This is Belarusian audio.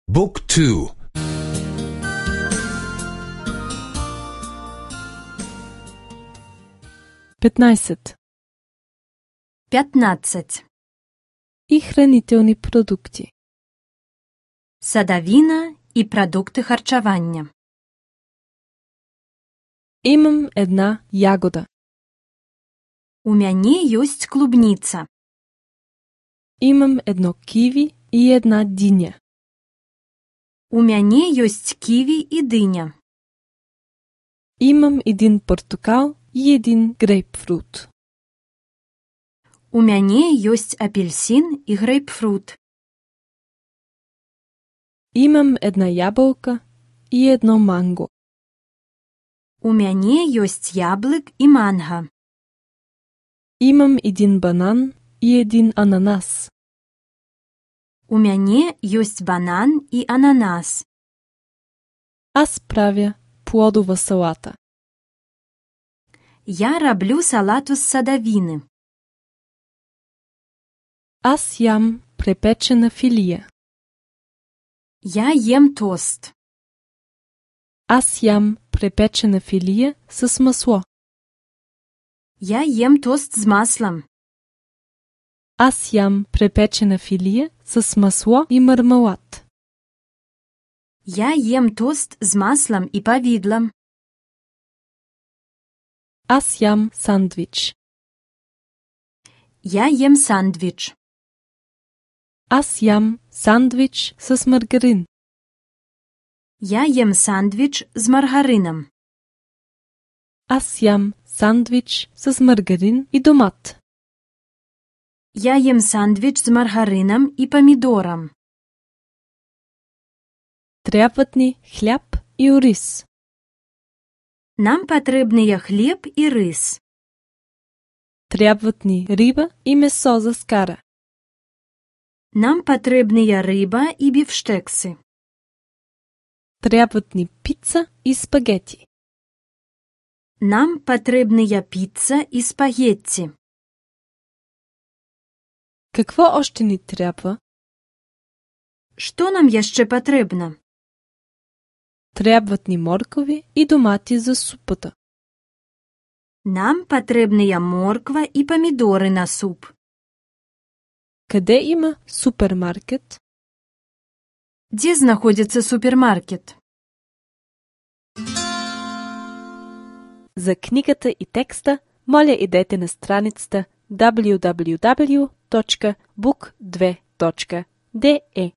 Book 2. 15. 15. И хранителни продукти. Садавіна і продукти харчування. Имам една ягода. У мяне ёсць клубніца. Имам едно киви и една диня. У мяне ёсць ківі і дыня. Имам един портокал и един грейпфрут. У мяне ёсць апельсин і грейпфрут. Имам една ябълка и едно манго. У мяне ёсць яблык і манга. Имам един банан и един ананас. У мяне ёсць банан і ананас. Аз правя плодова салата. Я раблю салату з садавіни. Аз ям препечена филия. Я ем тост. Аз ям препечена филия с масло. Я ем тост з маслом. Аз ям препечена филия с масло и мармелад. Я ем тост з маслом і павідлом. Аз ям сандвич. Я ем сандвіч. Аз ям сандвич с маргарин. Я ем сандвіч з маргарином. Аз ям сандвич с маргарин и домат. Я ем сандвіч з маргарином і помідором. Трябват ни хляб и ориз. Нам патрэбныя хлеб і рис. Трябват ни риба и месо за скара. Нам патрэбныя рыба і бифштекси. Трябват ни пица и спагети. Нам патрэбныя піца і спагетті. Какво още ни трябва? Што нам яшчэ патрэбна? Трябват ни моркови и домати за супата. Нам патрэбныя морква і памідоры на суп. Къде има супермаркет? Дзе знаходзіцца супермаркет? За книгата и текста, моля идете на страницата www.book2.de.